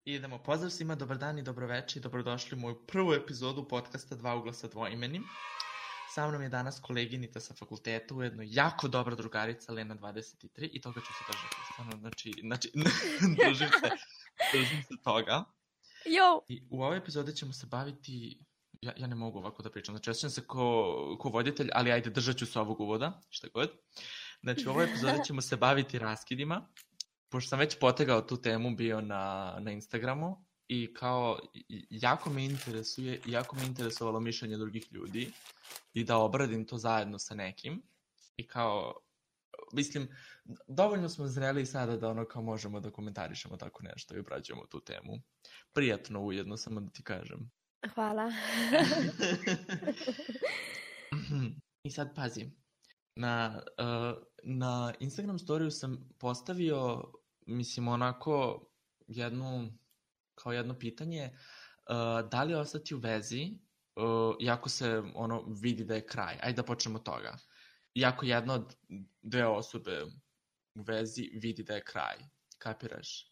Idemo, pozdrav svima, dobar dan i dobroveče i dobrodošli u moju prvu epizodu podcasta Dva ugla sa dvoimenim. Sa mnom je danas koleginica sa fakulteta, ujedno jako dobra drugarica Lena 23 i toga ću se držati. Stvarno, znači držim se toga. Jo! I u ovoj epizodi ćemo se baviti, ja ne mogu ovako da pričam, znači osjećam se ko voditelj, ali ajde, držat ću se ovog uvoda, šta god. Znači u ovoj epizodi ćemo se baviti raskidima. Pošto sam već potegao tu temu bio na Instagramu i kao jako me interesovalo mišljenje drugih ljudi i da obradim to zajedno sa nekim i kao, mislim, dovoljno smo zreli sada da ono kao možemo da komentarišemo tako nešto i obrađujemo tu temu. Prijatno ujedno, samo da ti kažem. Hvala. I sad pazi. Na Instagram storiju sam postavio, mislim, onako jedno pitanje, da li ostati u vezi, iako se ono vidi da je kraj. Ajde da počnemo od toga. Iako jedna od dve osobe u vezi vidi da je kraj. Kapiraš?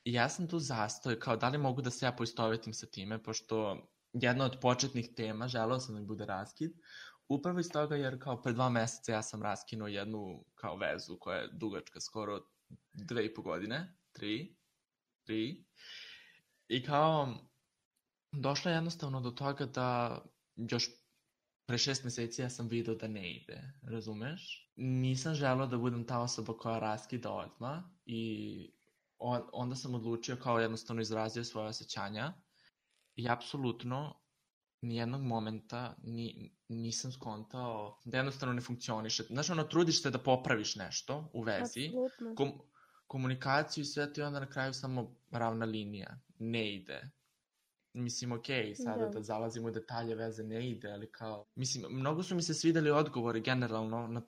I ja sam tu zastoj, kao da li mogu da se ja poistovetim sa time, pošto jedna od početnih tema, želeo sam da mi bude raskid, upravo iz toga jer kao pre 2 meseca ja sam raskinuo jednu kao vezu koja je dugačka skoro 2,5 godine, 3. I kao došlo je jednostavno do toga da još pre 6 meseci ja sam vidio da ne ide, razumeš? Nisam želeo da budem ta osoba koja raskida odmah i onda sam odlučio kao jednostavno izrazio svoje osjećanja i apsolutno nijednog momenta nisam skontao da jednostavno ne funkcioniše. Znaš, ono, trudiš se da popraviš nešto u vezi, komunikaciju i sve to i onda na kraju samo ravna linija. Ne ide. Mislim, okej, sada da zalazimo u detalje veze ne ide, ali kao... Mislim, mnogo su mi se svideli odgovori generalno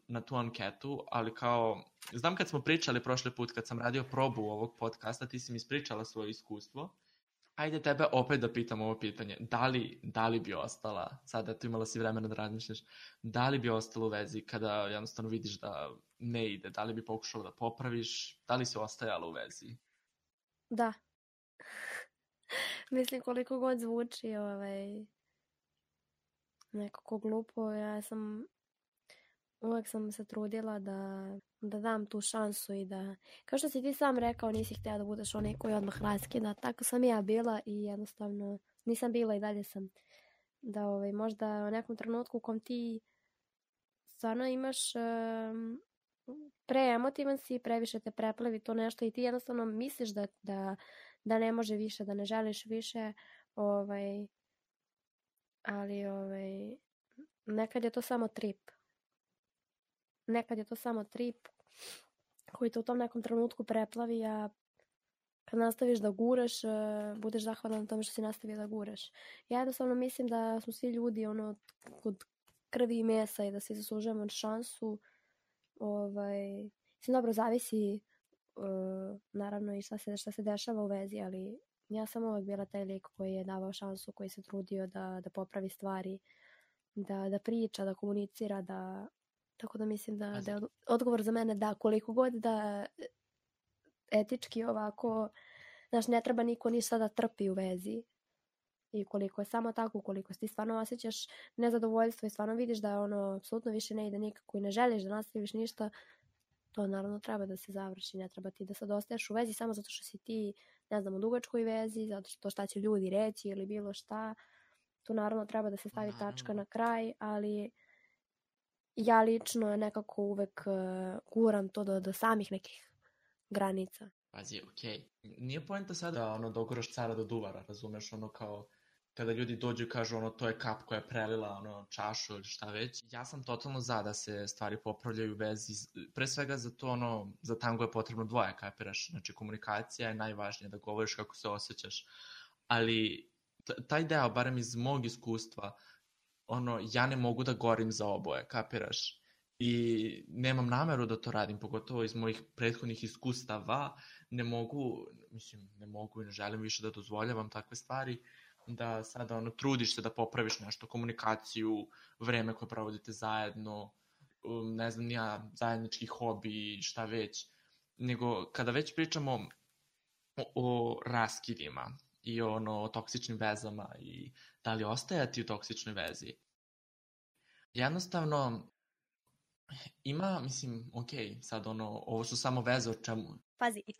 na tu anketu, ali kao... Znam kad smo pričali prošli put, kad sam radio probu ovog podcasta, ti si mi ispričala svoje iskustvo. Ajde tebe opet da pitam ovo pitanje. Da li bi ostala, sada tu imala si vremena da razmišljaš, da li bi ostala u vezi kada jednostavno vidiš da ne ide? Da li bi pokušala da popraviš? Da li si ostajala u vezi? Da. Mislim, koliko god zvuči nekako glupo, uvek sam se trudila da dam tu šansu i da, kao što si ti sam rekao, nisi htjela da budeš onaj koji odmah raskida, tako sam ja bila i jednostavno nisam bila i dalje sam. Da možda u nekom trenutku u kom ti stvarno imaš preemotivan si, previše te preplevi to nešto i ti jednostavno misliš da ne može više, da ne želiš više, ali nekad je to samo trip. Nekad je to samo trip koji te u tom nekom trenutku preplavi, a kad nastaviš da guraš, budeš zahvalan na tome što si nastavio da guraš. Ja jednostavno mislim da smo svi ljudi kod krvi i mesa i da svi zaslužujemo šansu. Dobro, zavisi naravno i šta se dešava u vezi, ali ja sam uvek bila taj lik koji je davao šansu, koji se trudio da popravi stvari, da priča, da komunicira, tako da mislim da je odgovor za mene da koliko god da etički ovako, znaš, ne treba niko ništa da trpi u vezi i koliko je samo tako, koliko ti stvarno osjećaš nezadovoljstvo i stvarno vidiš da apsolutno više ne ide nikako i ne želiš da nastaviš ništa, to naravno treba da se završi, ne treba ti da sad ostaješ u vezi samo zato što si ti, ne znam, u dugačkoj vezi, zato što šta će ljudi reći ili bilo šta. Tu naravno treba da se stavi tačka na kraj, ali ja lično nekako uvek guram to do samih nekih granica. Pazi, okej. Nije poenta sada da doguraš cara do duvara, razumeš, kao kada ljudi dođu i kažu to je kap koja je prelila čašu ili šta već. Ja sam totalno za da se stvari popravljaju u vezi, pre svega za tango je potrebno dvoje, kapiraš, znači komunikacija je najvažnija, da govoriš kako se osjećaš, ali taj deo, barem iz mog iskustva, ja ne mogu da gorim za oboje, kapiraš? I nemam nameru da to radim, pogotovo iz mojih prethodnih iskustava, ne mogu i ne želim više da dozvoljavam takve stvari, da sada trudiš se da popraviš nešto, komunikaciju, vreme koje provodite zajedno, ne znam ja, zajednički hobi, šta već, nego kada već pričamo o raskidima i o toksičnim vezama i da li ostajati u toksičnoj vezi. Jednostavno, ima, mislim, sad ovo su samo veze o čemu... Pazi, i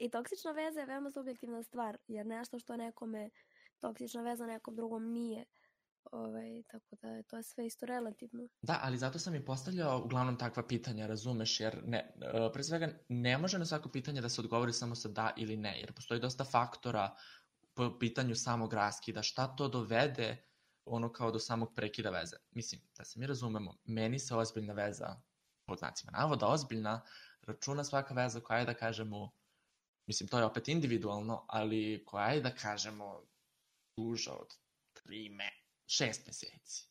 toksična veza je veoma subjektivna stvar, jer nešto što nekome toksična veza nekom drugom nije. Tako da to je sve isto relativno. Da, ali zato sam i postavljao uglavnom takva pitanja, razumeš, jer pre svega ne može na svako pitanje da se odgovori samo sa da ili ne, jer postoji dosta faktora po pitanju samog raskida, šta to dovede kao do samog prekida veze. Mislim, da se mi razumemo, meni se ozbiljna veza, pod znacima navoda ozbiljna, računa svaka veza koja je da kažemo, mislim, to je opet individualno, ali koja je da kažemo duža od 6 meseci.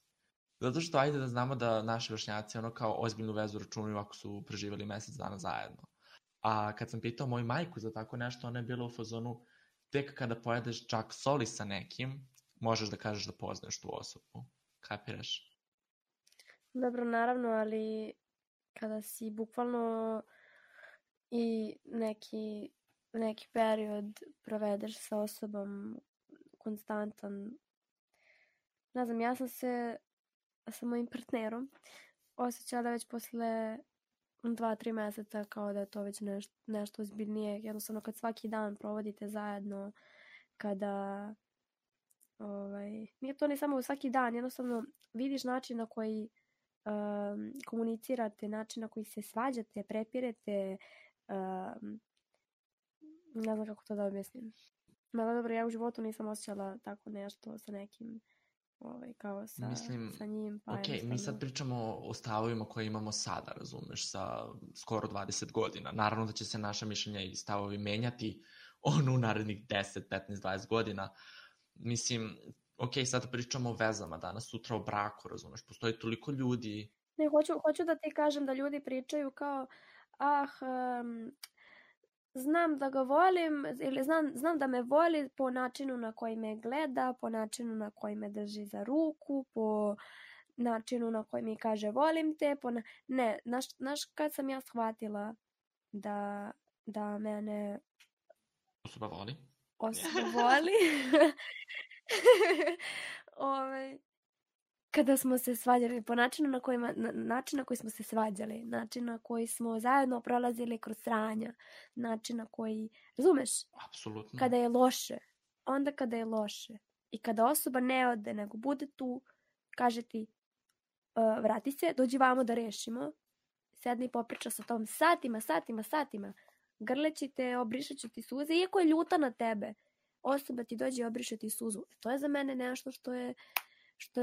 Zato što ajde da znamo da naši vršnjaci kao ozbiljnu vezu računaju ako su preživali mesec dana zajedno. A kad sam pitao moju majku za tako nešto, ona je bila u fazonu, tek kada pojedeš čak soli sa nekim, možeš da kažeš da poznaješ tu osobu. Kapiraš? Dobro, naravno, ali kada si bukvalno i neki period provedeš sa osobom konstantan. Ne znam, ja sam se sa mojim partnerom osjećala već posle 2-3 meseca kao da je to već nešto ozbiljnije. Jednostavno kad svaki dan provodite zajedno, kada nije to ne samo svaki dan, jednostavno vidiš način na koji komunicirate, način na koji se svađate, prepirete, ne znam kako to da objasnim. Malo dobro, ja u životu nisam osjećala tako nešto sa nekim kao sa njim. Pa mi sad pričamo o stavovima koje imamo sada, razumeš, sa skoro 20 godina. Naravno da će se naša mišljenja i stavovi menjati u narednih 10, 15, 20 godina. Mislim, sad pričamo o vezama, danas, sutra o braku, razumeš, postoji toliko ljudi. Ne, hoću da ti kažem da ljudi pričaju kao, znam da ga volim, ili znam da me voli po načinu na koji me gleda, po načinu na koji me drži za ruku, po načinu na koji mi kaže volim te. Ne, znaš kad sam ja shvatila da mene osoba voli? Kada smo se svađali, po način na koji smo se svađali, način na koji smo zajedno prolazili kroz sranja, način na koji, razumeš? Apsolutno. Kada je loše, onda kada je loše i kada osoba ne ode, nego bude tu, kaže ti, vrati se, dođi vamo da rešimo, sedni i popriča sa tom satima, grleći te, obrišeću ti suze, iako je ljuta na tebe, osoba ti dođe i obriše ti suzu. To je za mene nešto što je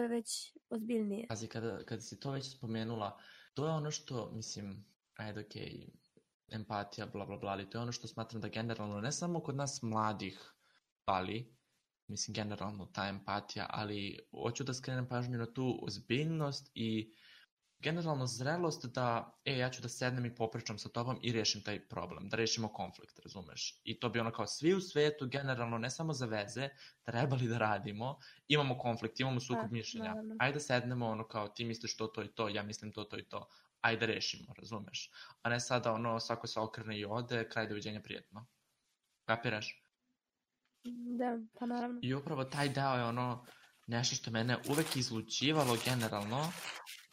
već ozbiljnije. Pazi, kada si to već spomenula, to je ono što, mislim, empatija, bla, bla, bla, ali to je ono što smatram da generalno, ne samo kod nas mladih fali, mislim, generalno ta empatija, ali hoću da skrenem pažnju na tu ozbiljnost i generalno zrelost da, ja ću da sednem i popričam sa tobom i rešim taj problem, da rešimo konflikt, razumeš? I to bi kao svi u svetu, generalno, ne samo za veze, trebali da radimo, imamo konflikt, imamo sukob mišljenja, naravno. Ajde da sednemo, kao ti misliš to i to, ja mislim to i to, ajde da rešimo, razumeš? A ne sada svako se okrene i ode, kraj doviđenja, prijetno. Kapiraš? Da, pa naravno. I upravo taj deo je nešto što mene uvek izlučivalo generalno.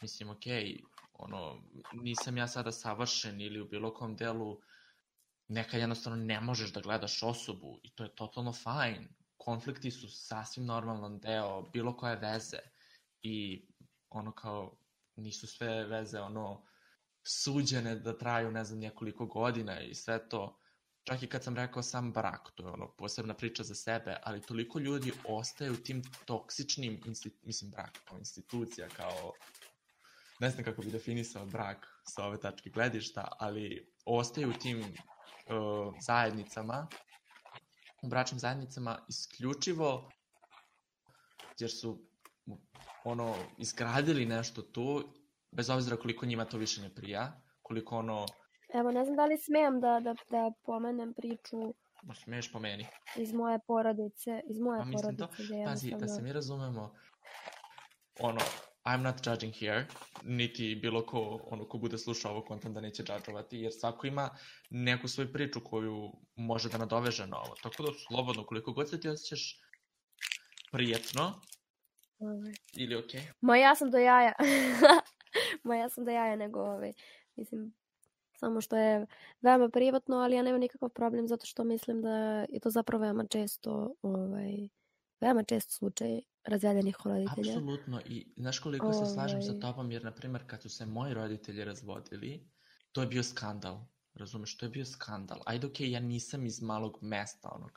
Mislim, nisam ja sada savršen ili u bilo kom delu nekad jednostavno ne možeš da gledaš osobu i to je totalno fajn. Konflikti su sasvim normalan deo bilo koje veze i kao nisu sve veze suđene da traju ne znam nekoliko godina i sve to. Čak i kad sam rekao sam brak, to je posebna priča za sebe, ali toliko ljudi ostaje u tim toksičnim, brak kao institucija, kao, ne znam kako bi definisao brak sa ove tačke gledišta, ali ostaju u tim zajednicama, u bračnim zajednicama isključivo jer su izgradili nešto tu, bez obzira koliko njima to više ne prija, koliko Evo, ne znam da li smijem da pomenem priču smiješ po meni. Iz moje porodice. Pazi, da se mi razumemo, I'm not judging here, niti bilo ko, ko bude slušao ovo kontent da neće džadžovati, jer svako ima neku svoju priču koju može da nadoveže na ovo. Tako da slobodno, koliko god se ti osjećaš prijetno ili okej. Ma ja sam do jaja. Ma ja sam do jaja nego mislim, samo što je veoma privatno, ali ja nemam nikakav problem zato što mislim da je to zapravo veoma čest slučaj razvedenih roditelja. Apsolutno, i znaš koliko se slažem sa tobom, jer na primjer kad su se moji roditelji razvodili, to je bio skandal. Razumeš, to je bio skandal. Ajde, okej, ja nisam iz malog mesta,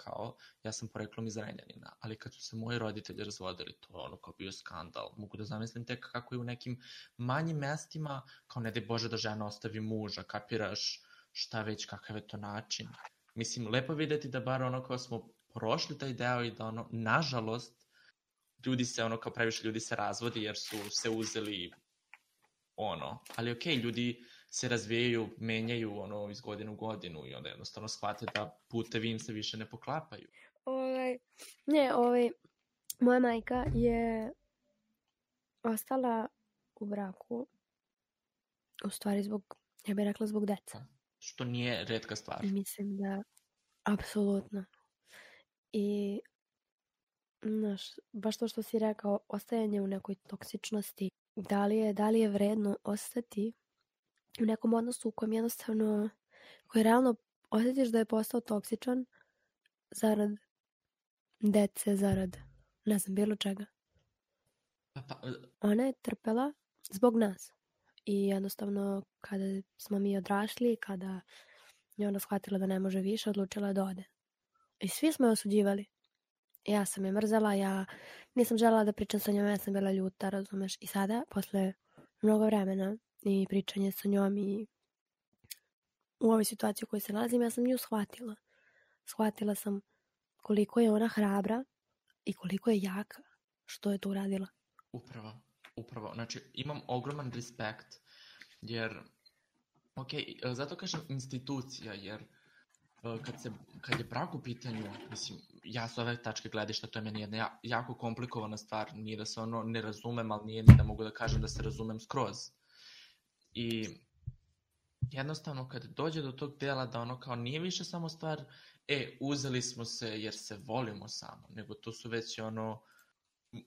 ja sam poreklom iz Renjanina, ali kad su se moji roditelji razvodili, to je kao bio skandal. Mogu da zamislim tek kako je u nekim manjim mestima, kao ne daj Bože da žena ostavi muža, kapiraš šta već, kakav je to način. Mislim, lepo videti da bar kao smo prošli taj deo i da nažalost, ljudi se, kao previše ljudi se razvodi jer su se uzeli ali okej, ljudi se razvijaju, menjaju iz godine u godinu i onda jednostavno shvate da putevi im se više ne poklapaju. Moja majka je ostala u braku u stvari ja bih rekla zbog deca. Što nije retka stvar. Mislim da, apsolutno. I znaš, baš to što si rekao, ostajanje u nekoj toksičnosti, da li je vredno ostati u nekom odnosu u kojem jednostavno, koji realno osjetiš da je postao toksičan zarad dece, zarad ne znam, bilo čega. Ona je trpela zbog nas i jednostavno kada smo mi odrasli, kada je ona shvatila da ne može više, odlučila da ode. I svi smo je osuđivali. Ja sam je mrzela, ja nisam želela da pričam sa njom, ja sam bila ljuta, razumeš. I sada, posle mnogo vremena i pričanje sa njom i u ovoj situaciji u kojoj se nalazim, ja sam nju shvatila. Shvatila sam koliko je ona hrabra i koliko je jaka što je to uradila. Upravo. Znači, imam ogroman respekt, jer, zato kažem institucija, jer kad je brak u pitanju, mislim, ja s ove tačke gledišta, to je meni jedna jako komplikovana stvar, nije da se ne razumem, ali nije ni da mogu da kažem da se razumem skroz. I jednostavno kad dođe do tog dela da kao nije više samo stvar, uzeli smo se jer se volimo samo, nego to su već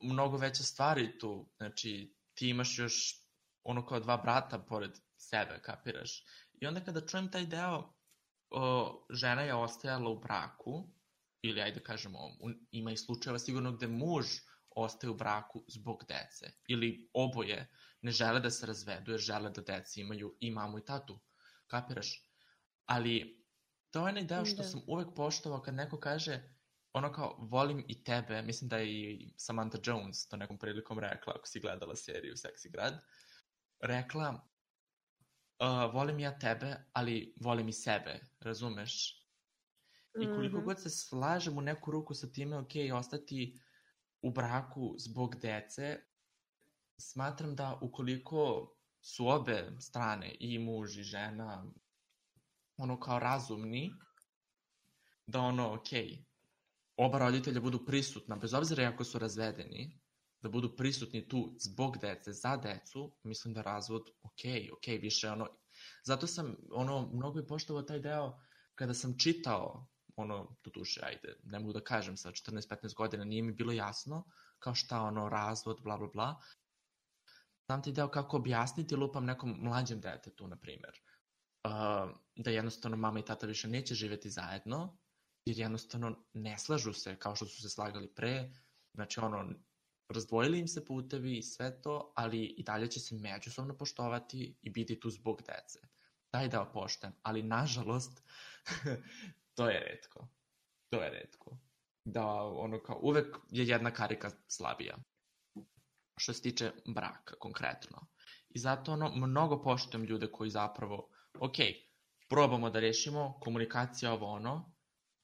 mnogo veće stvari tu, znači ti imaš još kao 2 brata pored sebe, kapiraš? I onda kada čujem taj deo, žena je ostajala u braku, ili ajde kažemo, ima i slučajeva sigurno gde muž ostaje u braku zbog dece, ili oboje ne žele da se razvedu jer žele da deci imaju i mamu i tatu, kapiraš? Ali to je onaj deo što sam uvek poštovao kad neko kaže kao volim i tebe, mislim da je i Samantha Jones to nekom prilikom rekla, ako si gledala seriju Seksi grad, rekla volim ja tebe, ali volim i sebe, razumeš? I koliko god se slažem u neku ruku sa time, ostati u braku zbog dece, smatram da ukoliko su obe strane, i muž i žena, kao razumni, da oba roditelja budu prisutna, bez obzira ako su razvedeni, da budu prisutni tu zbog dece, za decu, mislim da razvod, više zato sam, mnogo je poštovao taj deo kada sam čitao, do duše, ajde, ne mogu da kažem sa 14-15 godina, nije mi bilo jasno, kao šta, razvod, bla, bla, bla. Znam ti deo kako objasniti lupam nekom mlađem detetu, na primjer, da jednostavno mama i tata više neće živjeti zajedno, jer jednostavno ne slažu se kao što su se slagali pre, znači razdvojili im se putevi i sve to, ali i dalje će se međusobno poštovati i biti tu zbog dece. Taj deo poštujem, ali nažalost to je retko. Da kao uvek je jedna karika slabija. Što se tiče braka konkretno. I zato mnogo poštujem ljude koji zapravo, probamo da rešimo, komunikacija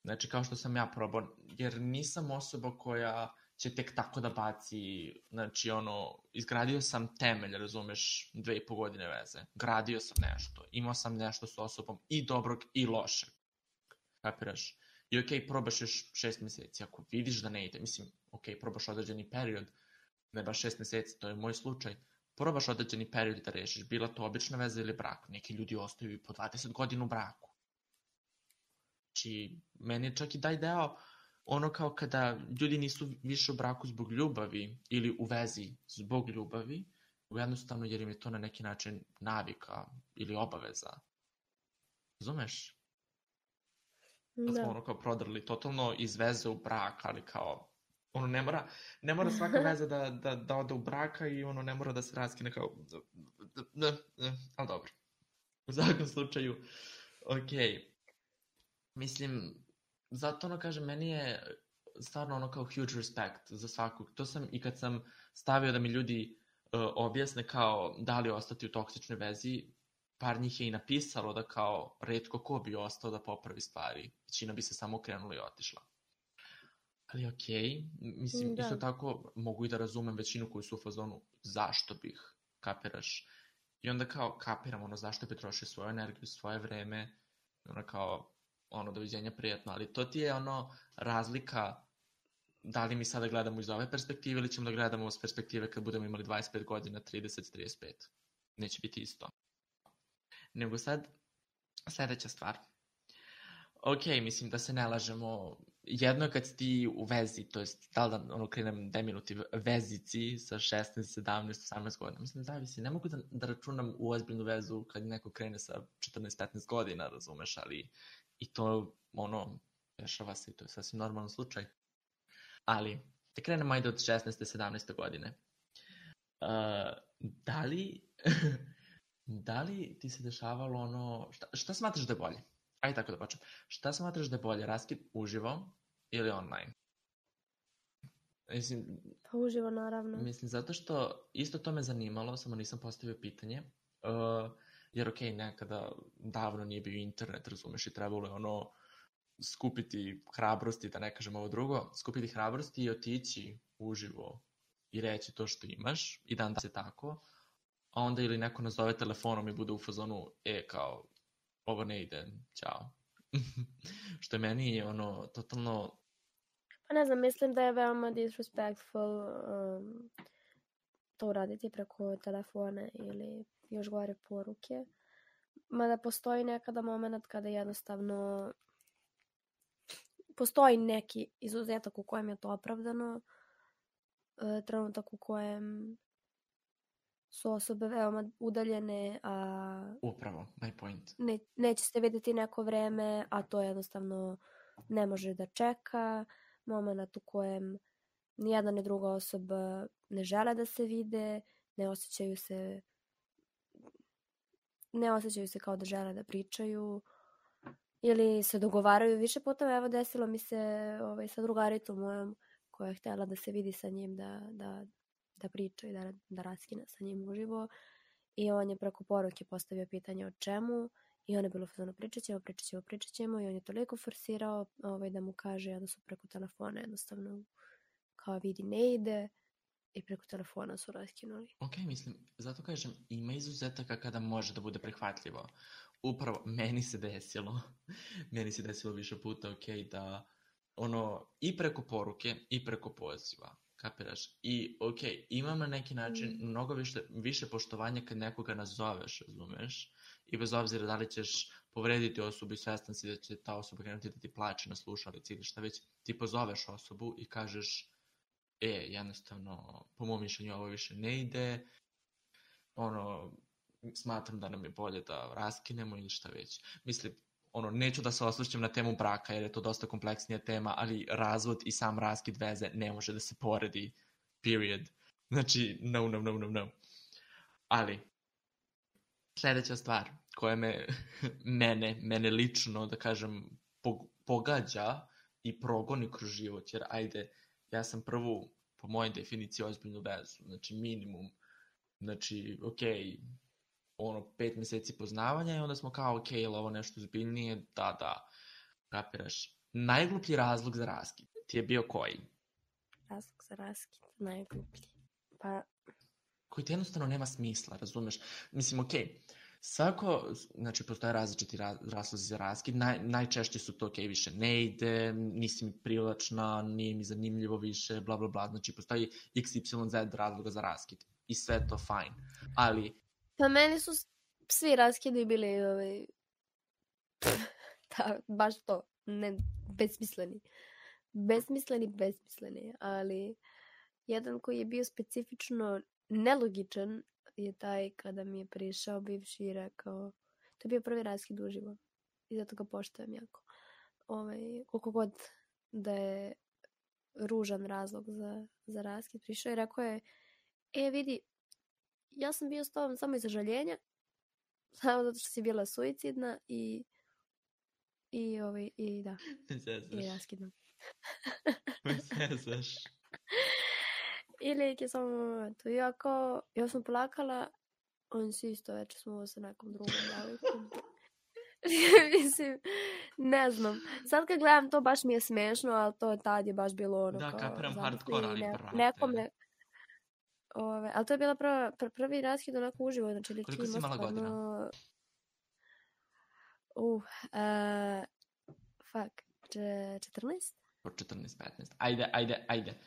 znači kao što sam ja probao, jer nisam osoba koja će tek tako da baci, znači izgradio sam temelj, razumeš, 2,5 godine veze, gradio sam nešto, imao sam nešto s osobom i dobrog i lošeg, kapiraš? I probaš još 6 meseci, ako vidiš da ne ide, mislim, probaš određeni period, ne baš 6 meseci, to je moj slučaj, probaš određeni period da rešiš, bila to obična veza ili brak. Neki ljudi ostaju i po 20 godina u braku. Znači, meni je čak i taj deo ono kao kada ljudi nisu više u braku zbog ljubavi ili u vezi zbog ljubavi, jednostavno jer im je to na neki način navika ili obaveza. Razumeš? Da smo ono kao prodrli totalno iz veze u brak, ali kao ono ne mora svaka veza da ode u braka i ono ne mora da se raskine kao ali dobro. U svakom slučaju, okej. Mislim, zato ono kažem, meni je stvarno ono kao huge respect za svakog. To sam i kad sam stavio da mi ljudi objasne kao da li ostati u toksičnoj vezi, par njih je i napisalo da kao retko ko bi ostao da popravi stvari. Većina bi se samo okrenula i otišla. Ali okej, mislim, isto tako mogu i da razumem većinu koji su u fazonu zašto bih, kapiraš. I onda kao kapiram ono zašto bi trošio svoju energiju, svoje vreme, ono kao ono doviđenja prijatno, ali to ti je ono razlika da li mi sada gledamo iz ove perspektive ili ćemo da gledamo iz perspektive kad budemo imali 25 godina, 30, 35. Neće biti isto. Nego sad, sledeća stvar. Ok, mislim da se ne lažemo. Jedno je kad si ti u vezi, to jest da li da ono krenem deminutiv vezici sa 16, 17, 18 godina. Mislim, zavisi. Ne mogu da računam u ozbiljnu vezu kad neko krene sa 14, 15 godina, razumeš, ali i to ono, dešava se i to je sasvim normalan slučaj. Ali, da krenemo ajde od 16. 17. godine. Da li ti se dešavalo ono... Šta smatraš da je bolje? Ajde tako da počnem. Šta smatraš da je bolje? Raskid uživo ili online? Mislim, pa uživo naravno. Mislim, zato što isto to me zanimalo, samo nisam postavio pitanje. Jer okej, nekada davno nije bio internet, razumeš, i trebalo je ono skupiti hrabrosti, da ne kažem ovo drugo, skupiti hrabrosti i otići uživo i reći to što imaš i dan da se tako, a onda ili neko nazove telefonom i bude u fazonu, kao, ovo ne ide, ćao. Što je meni ono, totalno... Pa ne znam, mislim da je veoma disrespectful to uraditi preko telefona ili još gore poruke. Mada postoji nekada moment kada jednostavno postoji neki izuzetak u kojem je to opravdano, trenutak u kojem su osobe veoma udaljene, a upravo, my point. Neće se vidjeti neko vreme, a to jednostavno ne može da čeka. Moment u kojem nijedna ni druga osoba ne žele da se vide, ne osjećaju se kao da žele da pričaju ili se dogovaraju više puta. Evo, desilo mi se sa drugaricom mojom koja je htjela da se vidi sa njim, da priča i da raskine sa njim uživo, i on je preko poruke postavio pitanje o čemu i on je bilo fazono pričat ćemo i on je toliko forsirao da mu kaže da su preko telefona jednostavno kao vidi ne ide i preko telefona su raskinuli. Ok, mislim, zato kažem, ima izuzetaka kada može da bude prihvatljivo. Upravo, meni se desilo više puta, ok, da ono, i preko poruke i preko poziva, kapiraš? I ok, imam na neki način mnogo više poštovanja kad nekoga nazoveš, razumeš? I bez obzira da li ćeš povrediti osobu i svestan si da će ta osoba krenuti da ti plače na slušalici ili šta već, ti pozoveš osobu i kažeš jednostavno, po mom mišljenju ovo više ne ide, ono, smatram da nam je bolje da raskinemo ili šta već. Mislim, neću da se osvrćem na temu braka jer je to dosta kompleksnija tema, ali razvod i sam raskid veze ne može da se poredi, period. Znači, no. Ali, sljedeća stvar koja mene lično, da kažem, pogađa i progoni kroz život, jer ajde, ja sam prvu, po mojoj definiciji, ozbiljnu vezu, znači minimum, znači, okej, 5 mjeseci poznavanja i onda smo kao, ok, je li ovo nešto zbiljnije? Da, kapiraš. Najgluplji razlog za raskid ti je bio koji? Razlog za raskid, najgluplji. Pa... koji ti jednostavno nema smisla, razumeš? Mislim, ok, Svako, znači postoje različiti razlozi za raskid, najčešće su to više ne ide, nisi mi privlačna, nije mi zanimljivo više, bla bla bla, znači postoji XYZ razloga za raskid i sve to fajn, ali... Pa meni su svi raskidi bili baš to, ne, besmisleni, ali jedan koji je bio specifično nelogičan je taj kada mi je prišao bivši i rekao, to je bio prvi raskid uživo i zato ga poštujem jako. Koliko god da je ružan razlog za raskid, prišao i rekao je, vidi, ja sam bio s tobom samo iz žaljenja, samo zato što si bila suicidna i da. I raskidno. Zezaš. I lik je samo to. Ja sam plakala, on si isto večer smo sa nekom drugom devojkom. Mislim, ne znam. Sad kad gledam to baš mi je smešno, ali to tad je baš bilo ono da, kao... Da, kapiram hardcore, ali prate. Nekome... ali to je bila prvi raskid onako uživo. Znači, lik koliko si imala godina? Fuck. 14? 14-15. Ajde.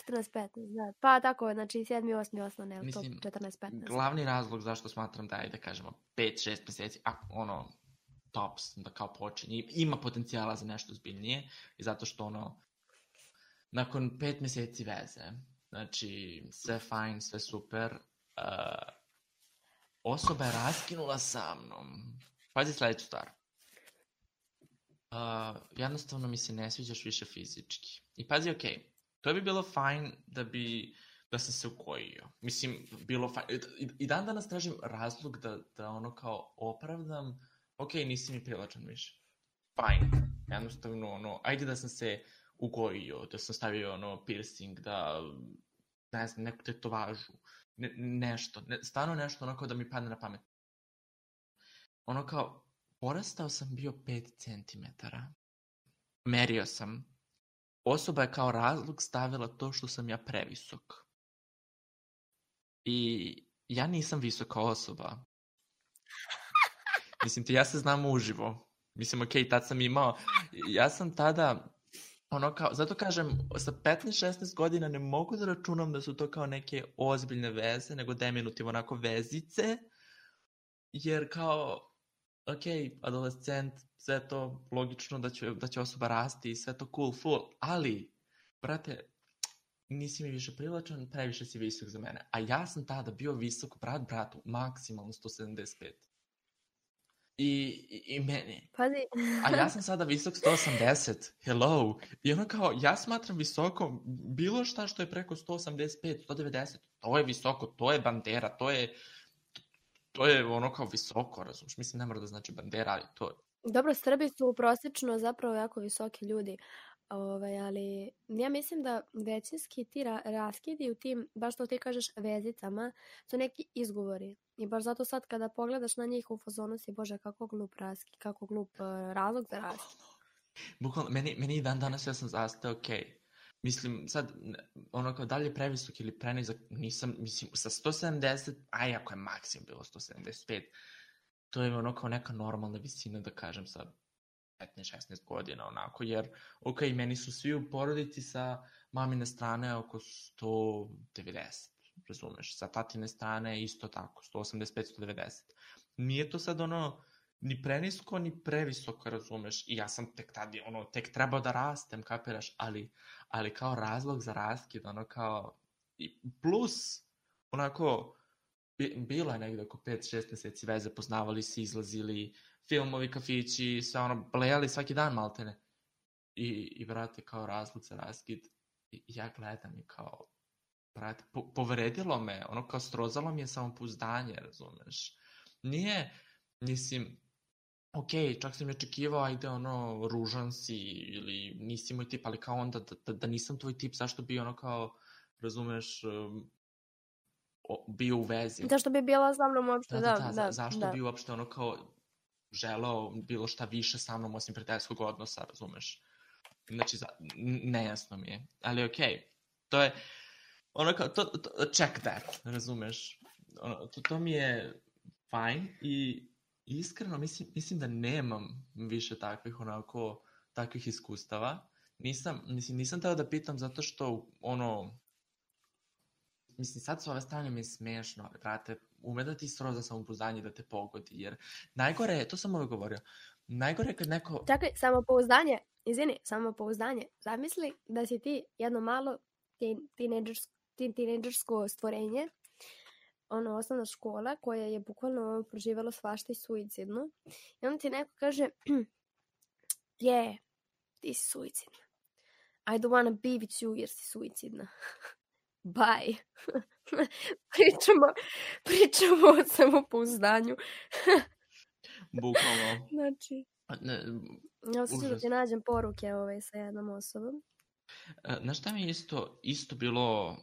14-15, da. Pa tako, znači 7. 8. osnovne, ali to 14-15. Glavni razlog zašto smatram da je, da kažemo, 5-6 mjeseci, tops, da kao počinje, ima potencijala za nešto zbiljnije, i zato što nakon 5 mjeseci veze, znači sve fajn, sve super, osoba je raskinula sa mnom. Pazi sljedeću stvar. Jednostavno mi se ne sviđaš više fizički. I pazi, to bi bilo fajn da sam se ukojio. Mislim, bilo fajn. I dan danas tražim razlog da kao opravdam, nisi mi privlačan više. Fajn. Jednostavno, ajde da sam se ukojio, da sam stavio piercing, da, ne znam, neku tetovažu, nešto, stvarno nešto kao da mi padne na pamet. Kao, porastao sam bio 5 centimetara. Merio sam. Osoba je kao razlog stavila to što sam ja previsok. I ja nisam visoka osoba. Mislim, ja se znam uživo. Mislim, tad sam imao... Ja sam tada... zato kažem, sa 15-16 godina ne mogu da računam da su to kao neke ozbiljne veze, nego deminutiv onako vezice. Jer kao... adolescent, sve to logično da će osoba rasti i sve to cool, full, ali, brate, nisi mi više privlačan, previše si visok za mene. A ja sam tada bio visok, bratu, maksimalno 175. I meni. Pazi. A ja sam sada visok 180. Hello. I kao, ja smatram visoko bilo šta što je preko 185, 190. To je visoko, to je bandera, to je kao visoko, razumiješ? Mislim, ne mora da znači bandera, ali to je... Dobro, Srbi su prosječno zapravo jako visoki ljudi, ali ja mislim da većinski ti raskidi u tim, baš što ti kažeš, vezicama, su neki izgovori. I baš zato sad kada pogledaš na njih u fazonu si, bože, kako glup raskid, kako glup razlog za raskid. Bukvalno, meni i dan danas ja sam zastao, mislim, sad, kao dalje previsok ili prenizak, nisam, mislim, sa 170, ako je maksimum bilo 175, to je kao neka normalna visina, da kažem, sa 15-16 godina, onako, jer, meni su svi u porodici sa mamine strane oko 190, razumeš, sa tatine strane isto tako, 185-190. Nije to sad ni prenisko, ni previsoko, razumeš, i ja sam tek tada, tek trebao da rastem, kapiraš, ali kao razlog za raskid, kao, plus, bilo je negdje oko 5-6 mjeseci veze, poznavali se, izlazili, filmovi, kafići, sve blejali svaki dan maltene. I brate, kao razlog za raskid, ja gledam i kao, brate, povredilo me, kao srozalo mi je samopouzdanje, razumeš. Nije, mislim, čak sam je očekivao, ajde, ružan si, ili nisi moj tip, ali kao onda, da nisam tvoj tip, zašto bi kao, razumeš, bio u vezi. Zašto bi bila sa mnom uopšte, da. Zašto bi uopšte kao želeo bilo šta više sa mnom osim prijateljskog odnosa, razumeš? Znači, nejasno mi je. Ali to je, kao, check that, razumeš? To mi je fajn i iskreno mislim da nemam više takvih iskustava. Nisam teo da pitam zato što mislim, sad s ove strane mi je smiješno, ali brate, ume da ti sroza samopouzdanje da te pogodi, jer najgore je, to sam uvijek govorio, najgore je kad neko... Čekaj, samopouzdanje. Zamisli da si ti jedno malo tinejdžersko stvorenje, osnovna škola koja je bukvalno proživjela svašta i suicidno. I onda ti neko kaže, ti si suicidna. I don't wanna be with you jer si suicidna. Bye. pričamo o samopouzdanju. Bukvalno. Znači, ja sam da ti nađem poruke sa jednom osobom. Znaš šta mi je isto bilo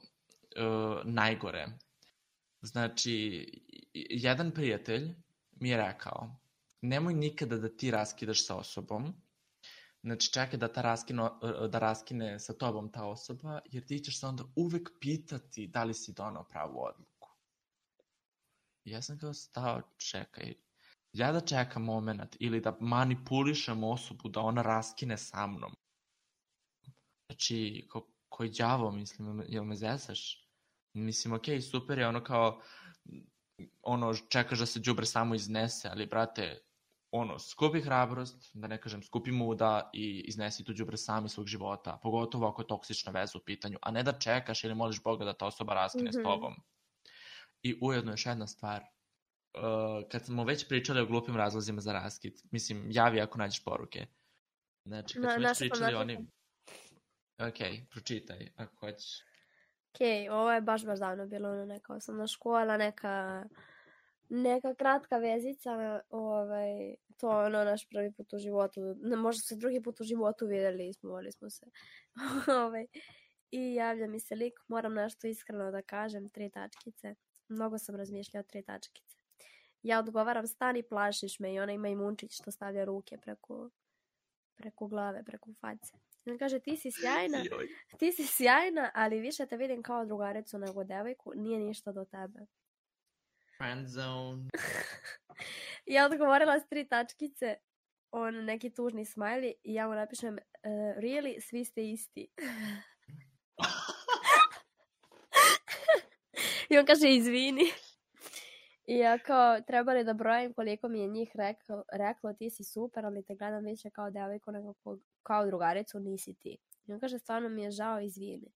najgore? Znači, jedan prijatelj mi je rekao, nemoj nikada da ti raskidaš sa osobom, znači čekaj da raskine sa tobom ta osoba, jer ti ćeš se onda uvek pitati da li si donao pravu odluku. Ja sam kao stao, čekaj, ja da čekam moment ili da manipulišem osobu da ona raskine sa mnom. Znači, koji đavo, mislim, jel me zesaš? Mislim, okej, super je kao, čekaš da se đubre samo iznese, ali, brate, skupi hrabrost, da ne kažem, skupi muda i iznesi tu đubre sami svog života, pogotovo ako je toksična veza u pitanju, a ne da čekaš ili moliš Boga da ta osoba raskine s tobom. I ujedno još jedna stvar, kad smo već pričali o glupim razlozima za raskid, mislim, javi ako nađeš poruke. Znači, kad smo već pričali oni... Ok, pročitaj, ako hoćeš. Ok, ovo je baš davno bilo, neka osnovna škola, neka kratka vezica, to je naš prvi put u životu, možda se drugi put u životu vidjeli, smoli smo se. I javlja mi se lik, moram nešto iskreno da kažem, 3 tačkice. Mnogo sam razmišljala 3 tačkice. Ja odgovaram, stani, plašiš me, i ona ima i munčić što stavlja ruke preko glave, preko face. I on kaže, ti si sjajna, ali više te vidim kao drugaricu nego devojku, nije ništa do tebe. Friend zone. Ja odgovorila s 3 tačkice, neki tužni smajli, i ja mu napišem, really, svi ste isti. I on kaže, izvini. I ja kao, treba li da brojim koliko mi je njih reklo, ti si super, ali te gledam više kao devojku nego kao drugaricu, nisi ti. I on kaže, stvarno mi je žao, izvini.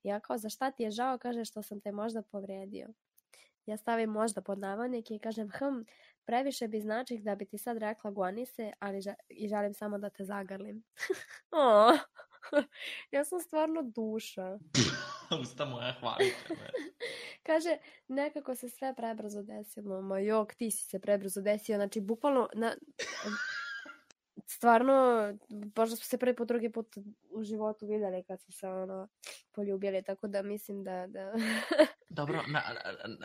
I ja kao, za šta ti je žao? Kaže, što sam te možda povredio. Ja stavim možda pod navodnike i kažem, previše bi znači da bi ti sad rekla goni se, ali i želim samo da te zagrlim. Ja sam stvarno duša. Usta moja, hvalite me. Kaže, nekako se sve prebrzo desilo. Ma jok, ti si se prebrzo desio. Znači, bukvalno, stvarno, možda smo se prvi put, drugi put u životu vidjeli kad smo se poljubili, tako da mislim da... Dobro,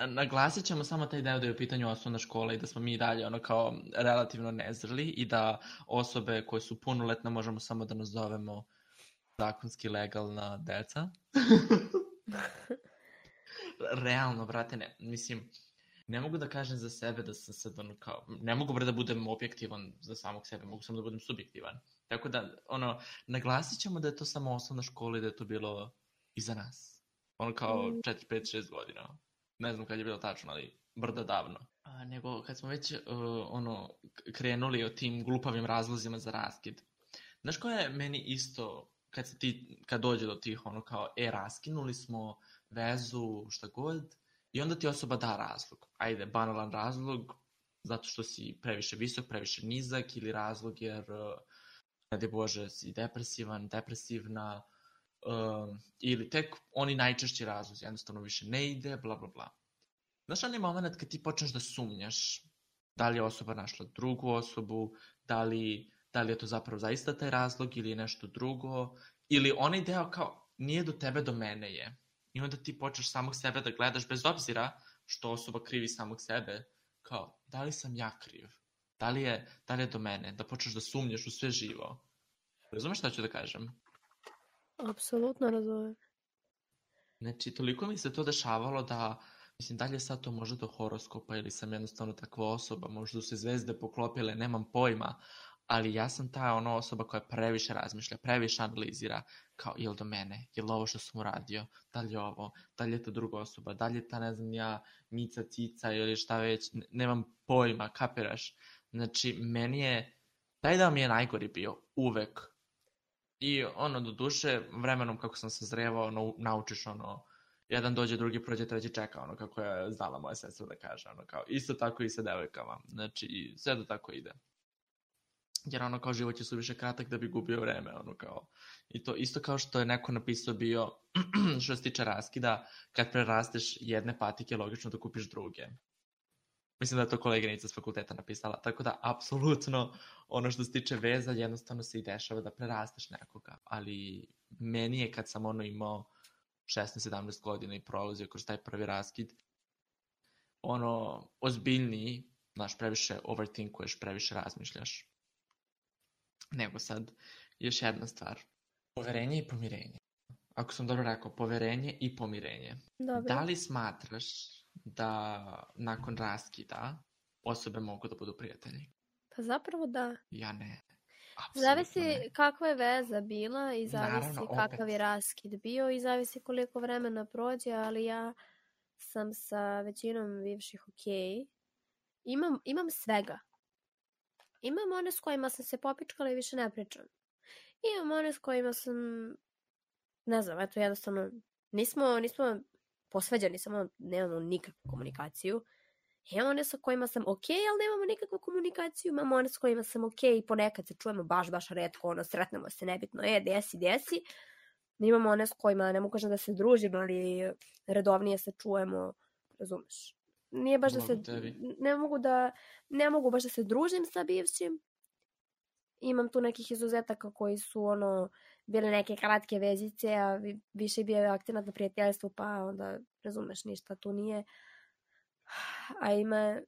naglasit ćemo samo taj deo da je u pitanju osnovna škola i da smo mi dalje kao relativno nezreli i da osobe koje su punoletne možemo samo da nazovemo zakonski legalna deca. Realno, brate, ne. Mislim, ne mogu da kažem za sebe da sam sad kao... Ne mogu da budem objektivan za samog sebe, mogu samo da budem subjektivan. Tako da, naglasit ćemo da je to samo osnovna škola i da je to bilo iza nas. Kao 4, 5, 6 godina. Ne znam kad je bilo tačno, ali brdo davno. Nego kad smo već krenuli o tim glupavim razlozima za raskid. Znaš ko je meni isto, kad dođe do tih kao, raskinuli smo vezu, šta god, i onda ti osoba da razlog. Ajde, banalan razlog, zato što si previše visok, previše nizak, ili razlog jer, ne daj Bože, si depresivan, depresivna, ili tek oni najčešći razlozi, jednostavno više ne ide, bla bla bla. Znaš onaj moment kad ti počneš da sumnjaš da li je osoba našla drugu osobu, da li je to zapravo zaista taj razlog ili je nešto drugo, ili onaj deo kao nije do tebe, do mene je. I onda ti počneš samog sebe da gledaš bez obzira što osoba krivi samog sebe, kao da li sam ja kriv, da li je do mene, da počneš da sumnjaš u sve živo. Razumeš šta ću da kažem? Apsolutno razumem. Znači, toliko mi se to dešavalo da mislim, da li je sad to možda do horoskopa ili sam jednostavno takva osoba, možda su se zvezde poklopile, nemam pojma, ali ja sam ta osoba koja previše razmišlja, previše analizira, kao je li do mene, je li ovo što sam uradio, da li je ovo, da li je to druga osoba, da li je ta, ne znam ja, Mica, Cica ili šta već, nemam pojma, kapiraš? Znači, meni je, taj dao mi je najgori bio, uvek. I do duše, vremenom kako sam se zrevao, naučiš jedan dođe, drugi prođe, treći čeka, kako je znala moja sestra da kaže, kao, isto tako i sa devojkama, znači, sve da tako ide. Jer kao život je suviše kratak da bi gubio vreme, kao, i to isto kao što je neko napisao bio, što se tiče raskida, kad prerasteš jedne patike, logično da kupiš druge. Mislim da je to koleginica s fakulteta napisala, tako da, apsolutno, što se tiče veza, jednostavno se i dešava da prerasteš nekoga, ali meni je kad sam imao 16-17 godina i prolazio kroz taj prvi raskid, ozbiljniji, znaš, previše overthinkuješ, previše razmišljaš. Nego sad, još jedna stvar. Poverenje i pomirenje. Ako sam dobro rekao, poverenje i pomirenje. Dobro. Da li smatraš da nakon raskida osobe mogu da budu prijatelji? Pa zapravo da. Ja ne. Zavisi kakva je veza bila i zavisi kakav je raskid bio i zavisi koliko vremena prođe, ali ja sam sa većinom bivših okej. Imam svega. Imam one s kojima sam se popičkala i više ne pričam. Imam one s kojima sam, ne znam, eto jednostavno, nismo posvađani, samo nemamo nikakvu komunikaciju. Imam one sa kojima sam okej, ali nemamo nikakvu komunikaciju. Imam one s kojima sam okej i ponekad se čujemo baš retko, sretnemo se nebitno, desi. Imamo one s kojima, ne mogu kažem da se družimo, ali redovnije se čujemo, razumeš. Nije baš da se, ne mogu baš da se družim sa bivšim. Imam tu nekih izuzetaka koji su bile neke kratke vezice, a više bio akcenat na prijateljstvu, pa onda razumeš, ništa tu nije. A ima,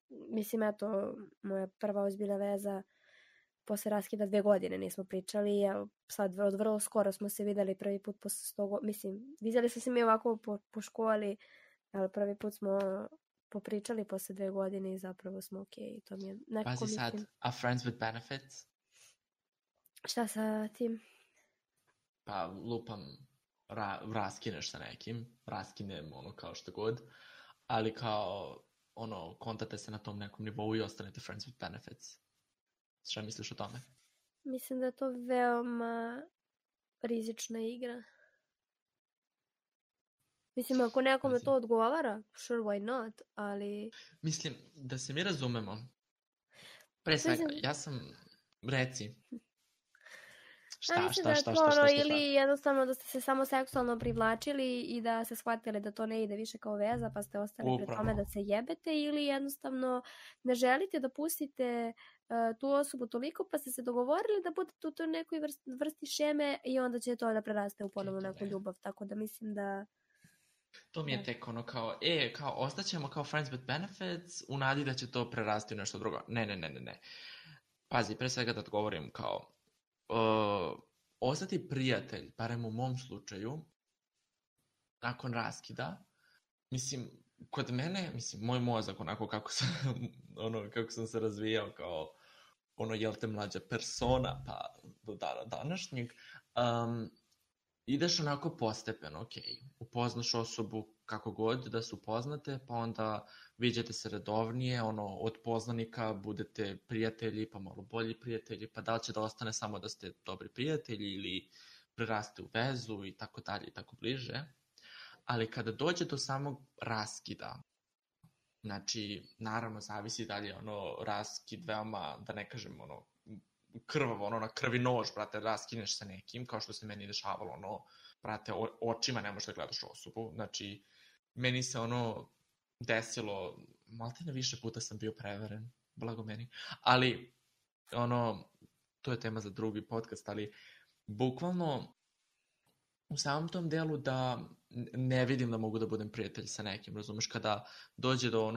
mislim, eto, moja prva ozbiljna veza posle raskida 2 godine nismo pričali, a sad vrlo skoro smo se videli prvi put posle 100 godina, mislim, vidjeli smo se mi ovako po školi, ali prvi put smo popričali posle 2 godine i zapravo smo okej. To mi je nekako, pazi sad, a friends with benefits? Šta sa tim? Pa lupam, raskineš sa nekim, raskinem kao što god, ali kao kontate se na tom nekom nivou i ostanete friends with benefits. Šta misliš o tome? Mislim da je to veoma rizična igra. Mislim, ako nekome to odgovara, sure, why not, ali... Mislim, da se mi razumemo. Pre svega, ja sam... Reci. Šta? Ili jednostavno da ste se samo seksualno privlačili i da se shvatili da to ne ide više kao veza, pa ste ostali pred tome da se jebete, ili jednostavno ne želite da pustite tu osobu toliko, pa ste se dogovorili da budete u toj nekoj vrsti šeme i onda će to da preraste u ponovno neku ljubav, tako da mislim da... To mi je tek kao ostaćemo kao friends with benefits u nadi da će to prerasti u nešto drugo. Ne. Pazi, pre svega da odgovorim kao ostati prijatelj, barem u mom slučaju, nakon raskida, mislim, kod mene, mislim, moj mozak, onako kako sam se razvijao kao jel te mlađa persona, pa do dana današnjeg, ideš onako postepeno, upoznaš osobu kako god da se upoznate, pa onda viđate se redovnije, od poznanika budete prijatelji, pa malo bolji prijatelji, pa da li će da ostane samo da ste dobri prijatelji ili preraste u vezu i tako dalje i tako bliže. Ali kada dođe do samog raskida, znači, naravno, zavisi da li je raskid veoma, da ne kažem, krvavo, na krvi nož, brate, raskineš sa nekim, kao što se meni dešavalo, brate, očima ne možeš da gledaš osobu, znači, meni se desilo, maltene više puta sam bio prevaren, blago meni, ali, to je tema za drugi podcast, ali, bukvalno, u samom tom delu da ne vidim da mogu da budem prijatelj sa nekim, razumeš, kada dođe do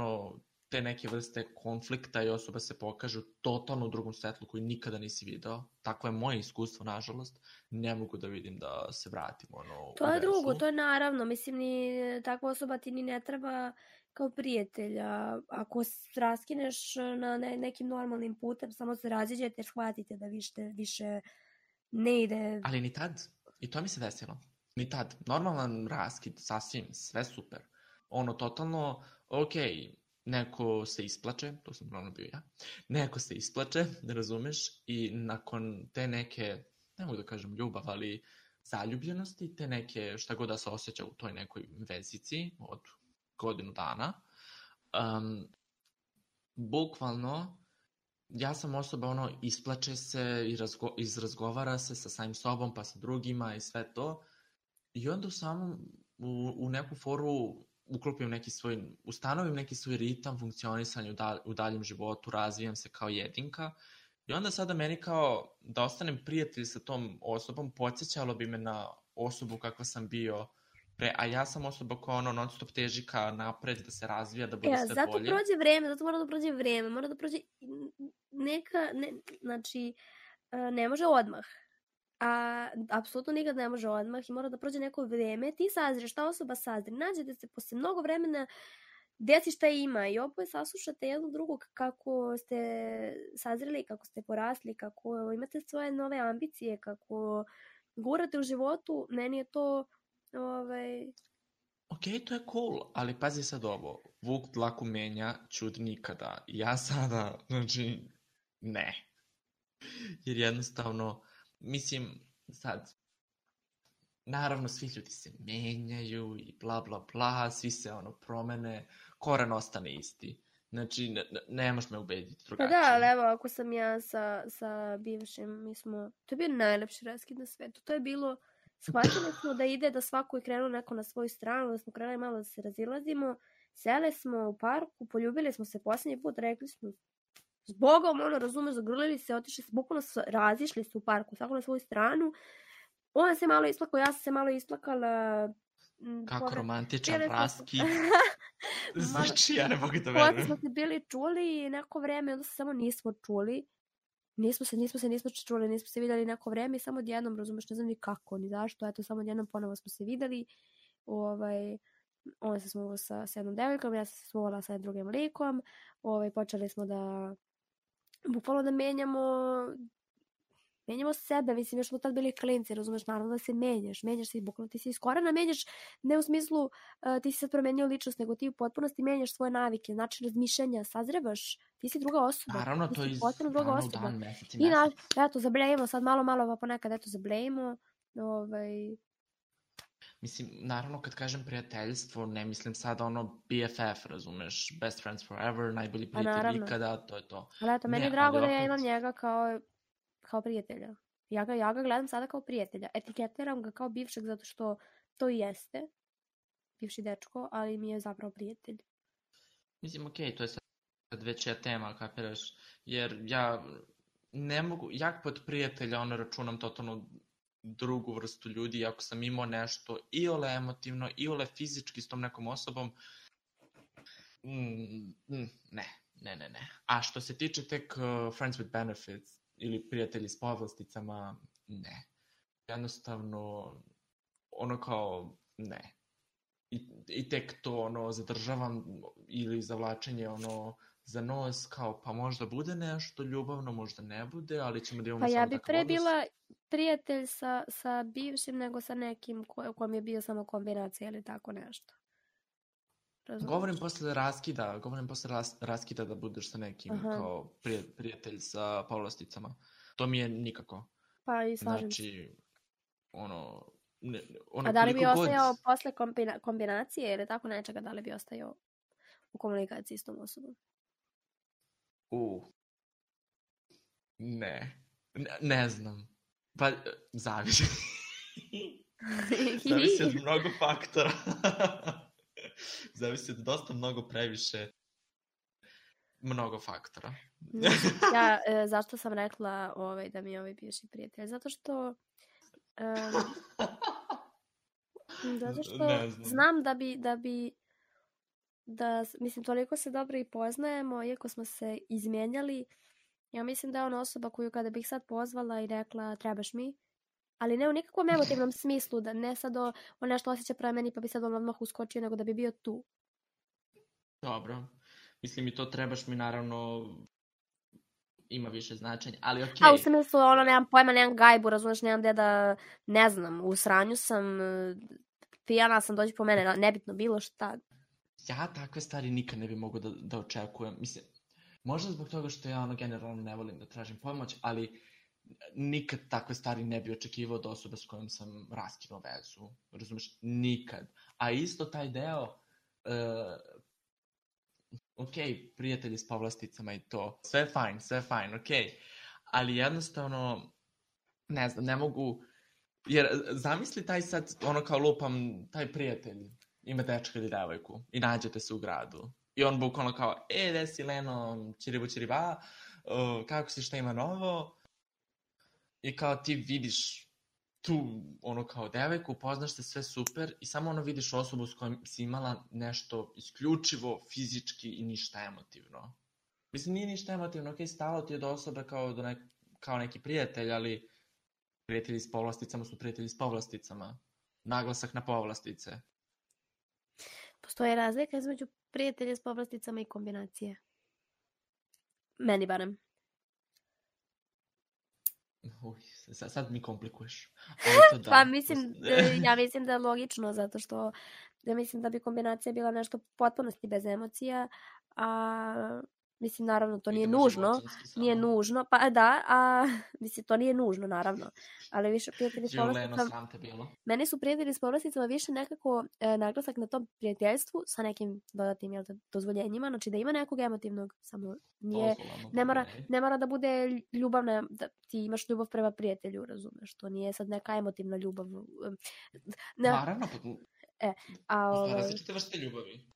te neke vrste konflikta i osoba se pokaže u totalno drugom svetlu koji nikada nisi video. Tako je moje iskustvo, nažalost. Ne mogu da vidim da se vratim u To je vezu. drugo, to je naravno. Mislim, ni takva osoba ti ni ne treba kao prijatelja. Ako raskineš na nekim normalnim putem, samo se raziđete jer shvatite da više ne ide. Ali ni tad. I to mi se desilo. Ni tad. Normalan raskid, sasvim, sve super. Totalno, neko se isplače, to sam uglavnom bio ja, neko se isplače, da razumeš, i nakon te neke, ne mogu da kažem ljubav, ali zaljubljenosti, te neke šta god da se osjeća u toj nekoj vezici od godinu dana, bukvalno, ja sam osoba, isplače se i izrazgovara se sa samim sobom, pa sa drugima i sve to, i onda u neku foru ustanovim neki svoj ritam funkcionisanja u daljem životu, razvijam se kao jedinka i onda sada meni kao da ostanem prijatelj sa tom osobom podsjećalo bi me na osobu kakva sam bio pre, a ja sam osoba koja non stop teži ka napred, da se razvija, da bude sve bolje. Zato mora da prođe vreme, mora da prođe znači ne može odmah. A apsolutno nikad ne može odmah i mora da prođe neko vreme, ti sazriješ, ta osoba sazri, nađete se posle mnogo vremena, desi šta ima i oboje saslušate jedno drugog kako ste sazreli, kako ste porasli, kako imate svoje nove ambicije, kako gurate u životu, meni je to Ok, to je cool, ali pazi sad ovo, vuk dlaku menja, ćud nikada. Ja sada, znači, ne. Jer jednostavno, mislim, sad, naravno svi ljudi se menjaju i bla bla bla, svi se promene, koren ostane isti. Znači, ne možeš me ubediti drugačije. Pa da, ali evo, ako sam ja sa bivšim, to je bio najlepši raskid na svetu. To je bilo, shvatili smo da ide da svako je krenuo neko na svoju stranu, da smo krenuli malo da se razilazimo, sele smo u parku, poljubili smo se posljednji put, rekli smo zbogom, razumeš, zagrlili se, otišli se, bukvalno razišli se u parku, svako na svoju stranu. On se malo isplakao, ja sam se malo isplakala. Kako romantičan raskid. Znači, ja ne mogu da verujem. Potom smo se bili čuli neko vreme, onda se samo nismo čuli. Nismo se čuli, nismo se vidjeli neko vreme i samo odjednom, razumeš, ne znam ni kako, ni zašto, eto, samo odjednom ponovo smo se vidjeli. On se smuvao sa jednom devojkom, ja sam se smuvala sa drugim likom. Počeli smo da bukvalno da menjamo sebe, mislim, još smo tad bili klinci, razumeš, naravno da se menjaš se i bukvalno ti se iz korena menjaš, ne u smislu ti si sad promenio ličnost, nego ti u potpunosti menjaš svoje navike, način razmišljanja, sazrevaš, ti si druga osoba. Naravno, to je iz dana u dan, mesec i mesec. I eto, zablejimo sad malo, pa ponekad eto zablejimo. Mislim, naravno kad kažem prijateljstvo, ne mislim sad BFF, razumeš, best friends forever, najbolji prijatelj ikada, to je to. Ali eto, meni je drago da ja imam njega kao prijatelja. Ja ga gledam sada kao prijatelja. Etiketiram ga kao bivšeg zato što to i jeste. Bivši dečko, ali mi je zapravo prijatelj. Mislim, okej, to je sad veća tema, kapiraš, jer ja ne mogu, jak pod prijatelja računam totalno drugu vrstu ljudi, ako sam imao nešto iole emotivno, iole fizički s tom nekom osobom, ne. A što se tiče tek friends with benefits ili prijatelji s povlasticama, ne. Jednostavno, kao, ne. I tek to zadržavam ili zavlačenje za nos, kao pa možda bude nešto ljubavno, možda ne bude, ali ćemo da imamo samo takav odnos. Pa ja bi pre bila prijatelj sa bivšim nego sa nekim kom je bio samo kombinacija ili tako nešto. Razumiješ? Govorim posle raskida da budeš sa nekim kao prijatelj sa povlasticama. To mi je nikako. Pa i slažem se. Znači, a da li bi ostajao posle kombinacije ili tako nečega, da li bi ostajao u komunikaciji s tom osobom? Ne znam. Pa, zavisi. Zavisi od mnogo faktora. Zavisi od dosta previše mnogo faktora. Zašto sam rekla da mi je bivši prijatelj? Zato što znam da bi mislim, toliko se dobro i poznajemo, iako smo se izmijenjali. Ja mislim da je ona osoba koju kada bih sad pozvala i rekla trebaš mi, ali ne u nikakvom emotivnom smislu, da ne sad on nešto osjeća prema meni pa bi sad on odmah uskočio, nego da bi bio tu. Dobro. Mislim i to trebaš mi naravno ima više značenja, ali okej. A u smislu, nemam pojma, nemam gajbu, razumeš, nemam gde da, ne znam, u sranju sam, pijana sam, dođi po mene, nebitno, bilo šta. Ja takve stvari nikad ne bi mogao da očekujem. Mislim, možda zbog toga što ja generalno ne volim da tražim pomoć, ali nikad takve stvari ne bi očekivao od osobe s kojom sam raskinuo vezu. Razumeš? Nikad. A isto taj deo, prijatelji s povlasticama i to, sve je fajn, ali jednostavno, ne znam, ne mogu, jer zamisli taj sad, kao lupam, taj prijatelj ima dečka ili devojku i nađete se u gradu i on bukvalno kao, gde si Leno, čiriba, kako si, šta ima novo, i kao ti vidiš tu, kao devojku, upoznaš se, sve super i samo vidiš osobu s kojom si imala nešto isključivo fizički i ništa emotivno. Mislim, nije ništa emotivno, stalo ti je do osobe kao neki prijatelj, ali prijatelji s povlasticama su prijatelji s povlasticama. Naglasak na povlastice. Postoji razlika između prijatelja s povlasticama i kombinacije. Meni barem. Sad mi komplikuješ. Pa ja mislim da je logično, zato što ja mislim da bi kombinacija bila nešto potpunosti bez emocija, a mislim, naravno, to nije nužno. Nije nužno, pa da, mislim, to nije nužno, naravno. Ali više prijatelji s povlasticama... Meni su prijatelji s povlasticama više nekako naglasak na tom prijateljstvu sa nekim dodatnim dozvoljenjima, znači da ima nekog emotivnog, samo nije... Ne mora da bude ljubavna, da ti imaš ljubav prema prijatelju, razumeš, to nije sad neka emotivna ljubav. Naravno, različite vrste ljubavi.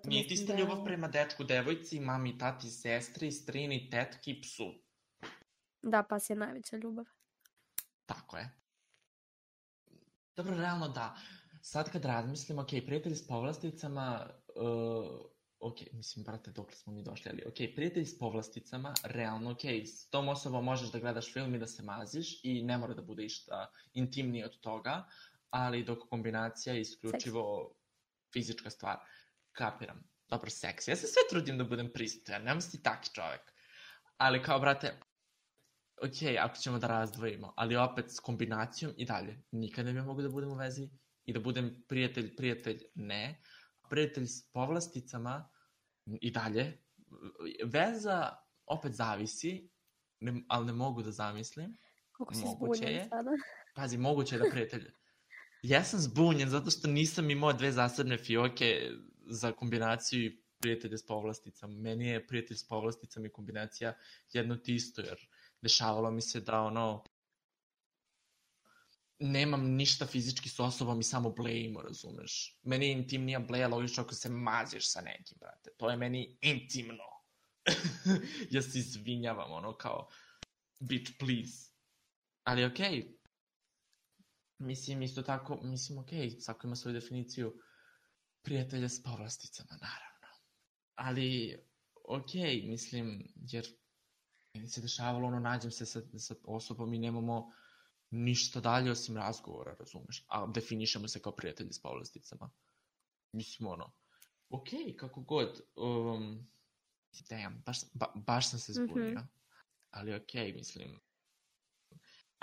Nije ti ista ljubav prema dečku, devojci, mami, tati, sestri, strini, tetki, psu. Da, pas je najveća ljubav. Tako je. Dobro, realno da. Sad kad razmislim, prijatelji s povlasticama, mislim, brate, dok smo mi došli, ali prijatelji s povlasticama, realno, s tom osobom možeš da gledaš film i da se maziš i ne mora da bude išta intimnije od toga, ali dok kombinacija je isključivo fizička stvar. Kapiram. Dobro, seks. Ja se sve trudim da budem pristojan, nemam si taki čovek. Ali kao, brate, ako ćemo da razdvojimo, ali opet s kombinacijom i dalje. Nikad ne bi mogu da budem u vezi i da budem prijatelj, ne. Prijatelj s povlasticama i dalje. Veza opet zavisi, ali ne mogu da zamislim. Koliko si zbunjen sada? Pazi, moguće je da prijatelj... Ja sam zbunjen zato što nisam imao dve zasebne fioke za kombinaciju i prijatelje s povlasticama. Meni je prijatelj s povlasticama i kombinacija jedno ti isto, jer dešavalo mi se da nemam ništa fizički s osobom i samo blejimo, razumeš? Meni je intimnija bleja logično ako se maziš sa nekim, brate. To je meni intimno. Ja se izvinjavam, kao bitch, please. Ali mislim, isto tako, svako ima svoju definiciju prijatelja s povlasticama, naravno. Ali, mislim, jer meni se dešavalo, nađem se sa osobom i nemamo ništa dalje osim razgovora, razumeš? A definišemo se kao prijatelji s povlasticama. Mislim, kako god. Baš sam se zbunio. Ali mislim...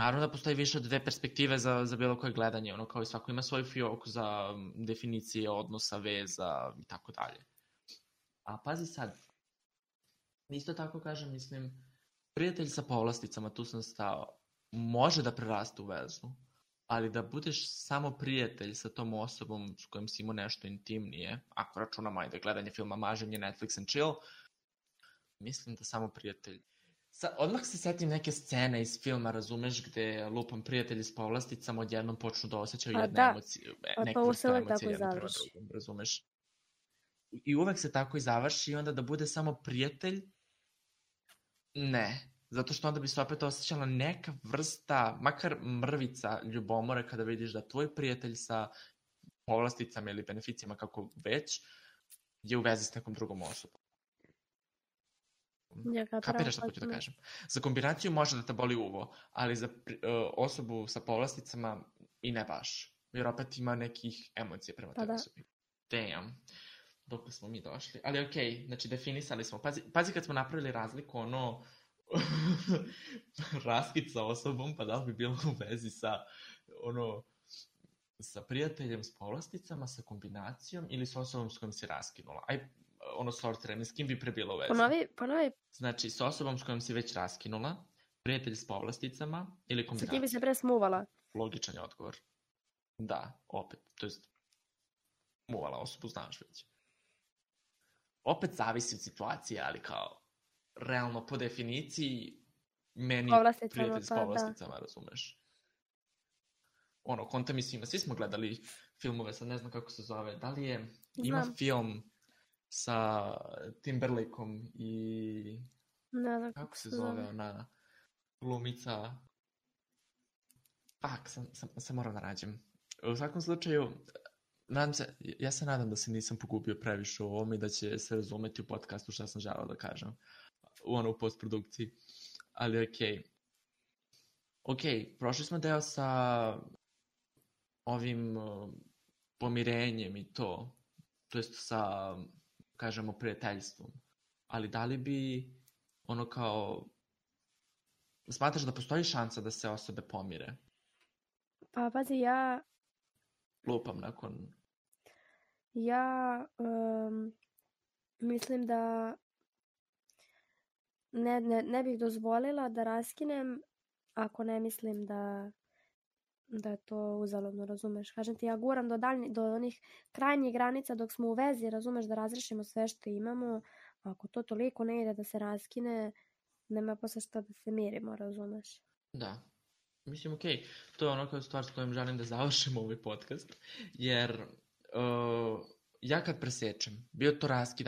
Naravno da postoji više od dve perspektive za bilo koje gledanje, kao i svako ima svoju fioku za definicije odnosa, veza i tako dalje. A pazi sad, isto tako kažem, mislim, prijatelj sa povlasticama, tu sam stao, može da preraste u vezu, ali da budeš samo prijatelj sa tom osobom s kojom si imao nešto intimnije, ako računamo ajde gledanje filma, maženje, Netflix and chill, mislim da samo prijatelj. Odmah se setim neke scene iz filma, razumeš, gde lupam prijatelji s povlasticama odjednom počnu da osjećaju jedne emocije, neku vrstu emocije jedno prema drugom, razumeš. I uvek se tako i završi i onda da bude samo prijatelj, ne. Zato što onda bi se opet osjećala neka vrsta, makar mrvica ljubomore kada vidiš da tvoj prijatelj sa povlasticama ili beneficijama kako već, je u vezi s nekom drugom osobom. Ja Kapiraš šta hoću da kažem? Za kombinaciju može da te boli uvo, ali za osobu sa povlasticama i ne baš. Jer opet ima nekih emocija prema toj osobi. Damn. Dok smo mi došli. Ali okej, znači definisali smo. Pazi kad smo napravili razliku, raskid sa osobom, pa da li bi bilo u vezi sa sa prijateljem s povlasticama, sa kombinacijom ili s osobom s kojom si raskinula. Sortirani, s kim bi pre bilo u vezi? Ponovi. Znači, s osobom s kojom si već raskinula, prijatelj s povlasticama ili kombinacija. Sa kim bi se pre smuvala? Logičan je odgovor. Da, opet. To je smuvala osobu, znaš već. Opet zavisi od situacije, ali kao realno po definiciji meni prijatelj s povlasticama, razumeš? Konta mi svima. Svi smo gledali filmove, sad ne znam kako se zove. Da li je... Ima film sa Timberlakeom i... Ne znam kako se zove ona glumica... Sam moram da nađem. U svakom slučaju, ja se nadam da se nisam pogubio previše u ovom i da će se razumeti u podcastu šta sam želeo da kažem. U postprodukciji. Ali okej, prošli smo deo sa ovim pomirenjem i to jest sa, kažemo, prijateljstvom. Ali da li bi kao... Smatraš da postoji šansa da se osobe pomire? Pa, pazi, ja... Lupam nakon... Ja mislim da ne bih dozvolila da raskinem ako ne mislim da je to uzaludno, razumeš? Kažem ti, ja guram do onih krajnjih granica dok smo u vezi, razumeš, da razrešimo sve što imamo. Ako to toliko ne ide da se raskine, nema posle šta da se mirimo, razumeš? Da. Mislim, okej, to je kao stvar s kojom želim da završimo ovaj podcast, jer ja kad presečem, bio to raskid,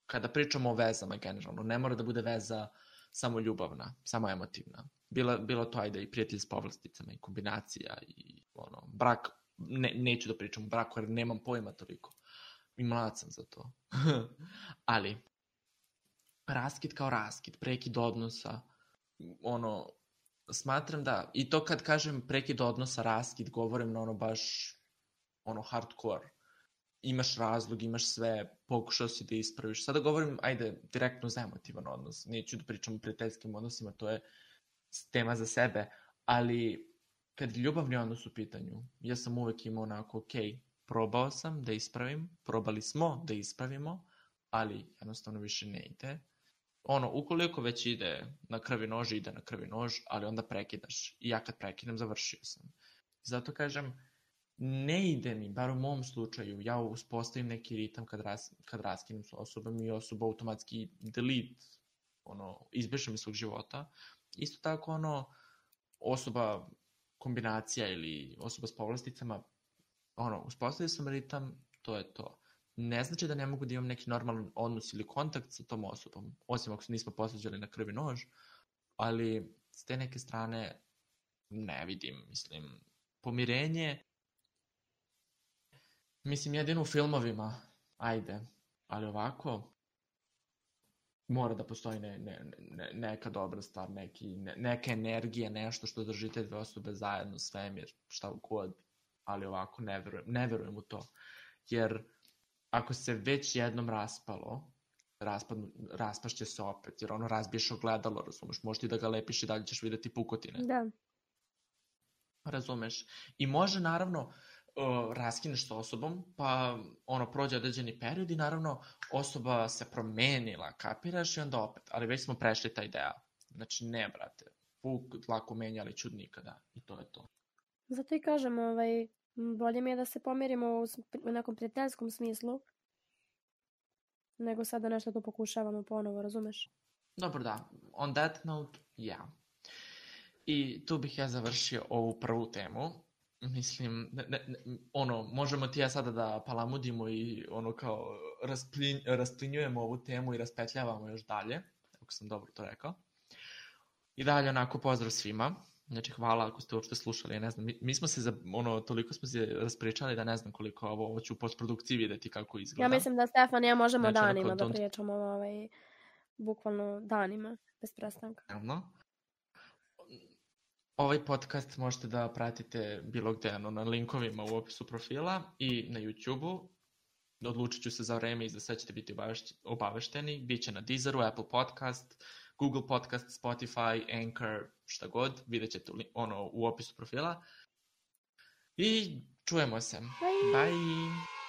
kada pričamo o vezama generalno, ne mora da bude veza samo ljubavna, samo emotivna. Bilo to, i prijatelj s povlasticama, i kombinacija, i brak, neću da pričam o braku jer nemam pojma toliko. I mlad sam za to. Ali, raskid kao raskid, prekid odnosa, smatram da, i to kad kažem prekid odnosa, raskid, govorim na baš, hardcore. Imaš razlog, imaš sve, pokušao si da ispraviš. Sada govorim, direktno za emotivan odnos. Neću da pričam o prijateljskim odnosima, to je tema za sebe, ali kad je ljubavni odnos u pitanju, ja sam uvek imao probao sam da ispravim, probali smo da ispravimo, ali jednostavno više ne ide. Ukoliko već ide na krvi nož, ide na krvi nož, ali onda prekidaš. I ja kad prekidam, završio sam. Zato kažem, ne ide mi, bar u mom slučaju, ja uspostavim neki ritam kad raskinem s osobom i osoba automatski delete, izbriše mi svog života. Isto tako, osoba kombinacija ili osoba s povlasticama, uspostavio sam ritam, to je to. Ne znači da ne mogu da imam neki normalan odnos ili kontakt sa tom osobom, osim ako se nismo posvađali na krvi nož, ali s te neke strane ne vidim, pomirenje, jedino u filmovima, ali ovako, mora da postoji neka dobra stvar, neka energija, nešto što drži te dve osobe zajedno, svemir, šta god, ali ovako ne verujem u to. Jer ako se već jednom raspalo, raspašće se opet, jer razbiješ ogledalo, razumeš, možeš ti da ga lepiš i dalje ćeš videti pukotine. Da. Razumeš? I može, naravno, raskineš sa osobom, pa prođe određeni period i naravno osoba se promenila, kapiraš, i onda opet, ali već smo prešli taj deo. Znači ne, brate, puk dlaku menja, ali čud nikada, i to je to. Zato i kažem, bolje mi je da se pomirimo u nekom prijateljskom smislu, nego sada nešto to pokušavamo ponovo, razumeš? Dobro, da, on that note, ja. I tu bih ja završio ovu prvu temu. Možemo ti ja sada da palamudimo i kao rasplinjujemo ovu temu i raspetljavamo još dalje, ako sam dobro to rekao. I dalje pozdrav svima. Znači, hvala ako ste uopšte slušali, ja ne znam, mi smo se, toliko smo se raspričali da ne znam koliko ovo ću u postprodukciji videti kako izgleda. Ja mislim da Stefan i ja možemo Znači, danima da pričamo, bukvalno danima, bez prestanka. Ovaj podcast možete da pratite bilo gde, na linkovima u opisu profila i na YouTube-u. Odlučit ću se za vreme i za sve ćete biti obavešteni. Biće na Deezeru, Apple Podcast, Google Podcast, Spotify, Anchor, šta god. Vidjet ćete u opisu profila. I čujemo se. Bye! Bye.